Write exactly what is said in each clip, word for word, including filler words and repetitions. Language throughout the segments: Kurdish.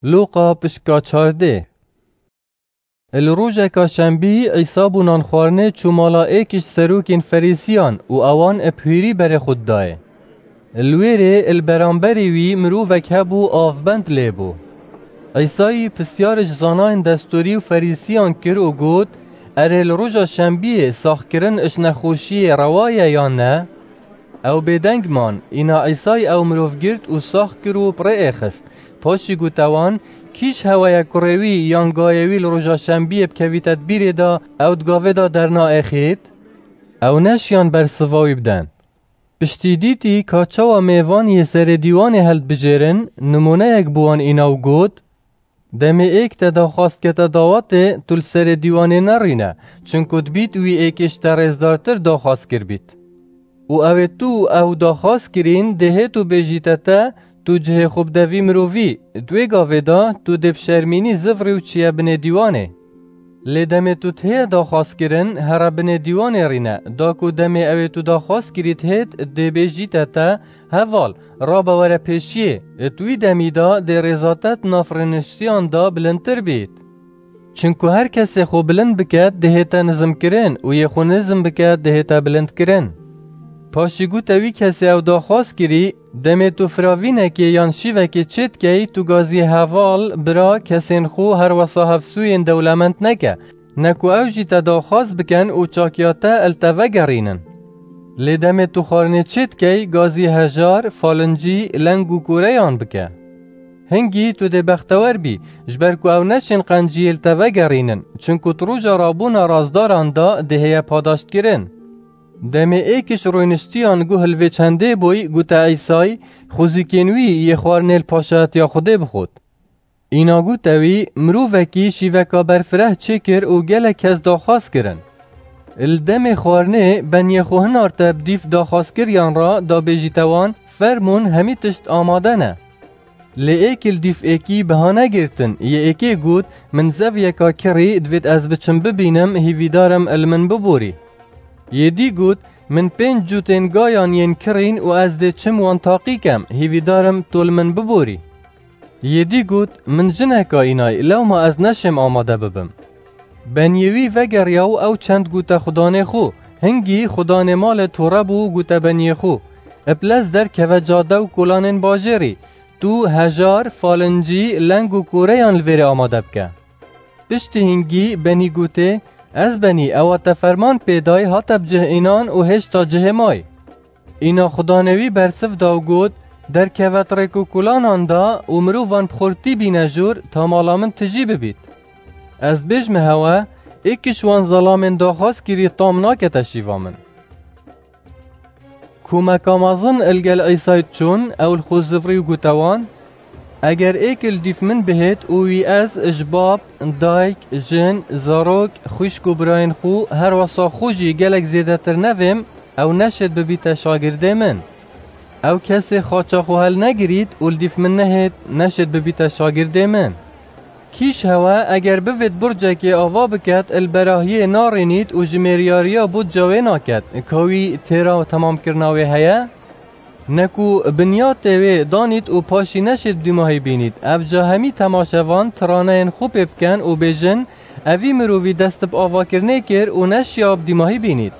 Lûqa pişka çardê. Li rojeka şembî Îsa bû nan xwarinê çû mala êk ji serokên Ferîsiyan û ewan bi hûrî berê xwe didayê. Li wêrê li beramberî wî mirovek hebû avbend lê bû. Îsayî pisyar ji zanayên destûrî û Ferîsiyan kir û got, Erê li roja şembiyê saxkirin ji nexweşiyê rewa ye yan ne? Ew bêdeng man, îna Îsay ew mirov girt û sax kir û bi rê êxist. Paşî gote wan, Kî ji hewe ye kurê wî yan gayê wî li roja şembiyê bikevîte di bîrê de, ew di gavê de dernaêxît? Ew neşiyan bersiva wî bidin. Piştî dîtî ka çawa mêvan yê serê dîwanê hildibijêrin, nimûneyek bi wan îna û got, Demê êk te daxwaz kete dawetê, tu li serê dîwanê nerîne, çinku dibît wî êkê ji te rêzdartir daxwaz kiribît. Û ew ê tu ew daxwaz kirîn dê hêt û bêjîte te, tu cihê xwe bide vî mirovî, di wê gavê de tu dê bi şermînî zivrî û çiye binê dîwanê. Lê demê tu tihê daxwaz kirin, here binê dîwanê rîne, da ku demê ew ê tu daxwaz kirît hêt, dê bêjîte te, Heval, rabe were pêşiyê, di wî demî de dê rêza te di nav rêniştiyan de bilindtir bît. Çinku her kesê xwe bilind biket, dihête nizimkirin û yê xwe nizim biket, dihête bilindkirin. Paşî gote wî kesê ew daxwaz kirî, Demê tu firavînekê yan şîvekê çêdikeyî, tu gaziyê heval, bira, kesên xwe her wesa hevsûyên dewlemend neke, ne ku ew jî te daxwaz bikin û çakiya te li te vegerînin. Lê demê tu xwarinê çêdikey, gazî hejar, falincî, leng û kûreyan bike. Hingî tu dê bextewer bî, ji ber ku ew neşên qenciyê li te vegerînin, çinku tu roja rabûna razdaran de dê heye padaştkirin. Demê êk ji rûniştiyan guh li vê çendê bûy, gote Îsay, Xwezîkên wî yê xwarinê li paşayetiya Xwedê bixwit. Îna gote wî, Mirovekî şîveka berfireh çêkir û gelek kes daxwaz kirin. Li demê xwarinê beniyê xwe hinarte bi dîf daxwazkiriyan re, da bêjîte wan, Fermûn, hemî tişt amade ne. Lê êk li dîf êkî bihane girtin, yê êkê got, Min zeviyeka kirî, divêt ez biçim bibînim, hîvîdar im li min biborî. Yê dî got, Min pênc cûtên gayan yên kirîn û ez dê çim wan taqî kem, hîvîdar im tu li min biborî. Yê dî got, Min jineka înay, lewma ez neşêm amade bibim. Beniyê wî vegeriya û ew çend gote xudanê xwe, hingî xudanê malê tore bû û gote beniyê xwe, Bi lez derkeve cade û kolanên bajêrî, tu hejar, falincî, leng û kûreyan li vêrê amade bike. Piştî hingî benî gotê, Ez benî, ewa te ferman pê day, hate bi cih înan û hêşta cihê may. Îna xudanê wî bersiv da û got, Derkeve di rêk û kolanan de û mirovan bi xurtî bîne jor, ta mala min tijî bibît. Ez dibêjme hewe, êk ji wan zelamên daxwazkirî tam nakete şîva min. Komeka mezin li gel Îsay çûn, ew li xwe zivrî û gote wan, Eger êk li dîf min bihêt û wî ez ji bab, dayk, jin, zarok, xwişk û birayên xwe, her wesa xwe jî gelek zêdetir nevêm, ew neşêt bibîte şagirdê min. Ew kesê xaça xwe helnegirît û li dîf min nehêt, neşêt bibîte şagirdê min. Kî ji hewe eger bivêt burcekê ava biket, li berahiyê narînît û jimêriyariya budca wê naket, ka wî têra temamkirina wê heye? Ne ku binyatê wê danît û paşî neşêt dûmahî bînît, evca hemî temaşevan tiraneyên xwe pê biken û bêjin, Evî mirovî dest bi avakirinê kir û neşiya bi dîmahî bînît.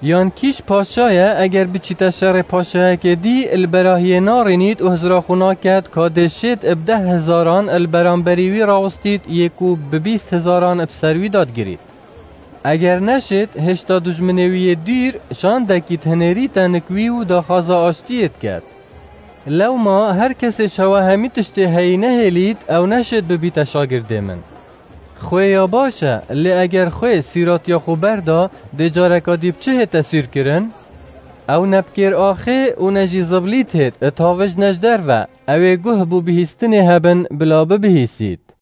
Yan kî ji paşa ye, eger biçîte şerê paşayekê dî, li berahiyê narînît û hizra xwe naket, ka dê şêt bi deh hezaran li beramberî wî rawistît, yê ku bi bîst hezaran bi ser wî dadigirît. Eger neşêt, hêşta dijminê wî yê dûr, şandekî di hinêrî tenik wî û daxwaza aştiyê diket. Lewma her kesê ji hewe hemî tiştê heyî nehêlît, ew neşêt bibîte şagirdê min. Xwê ya baş e, lê eger xwê sîratiya xwe berda, dê careka dî bi çi hête sûrkirin? Ew ne bi kêr axê û ne jî ziblît hêt, tavij ne ji derve, ew ê guh bo bihîstinê hebin, bila bibihîsît.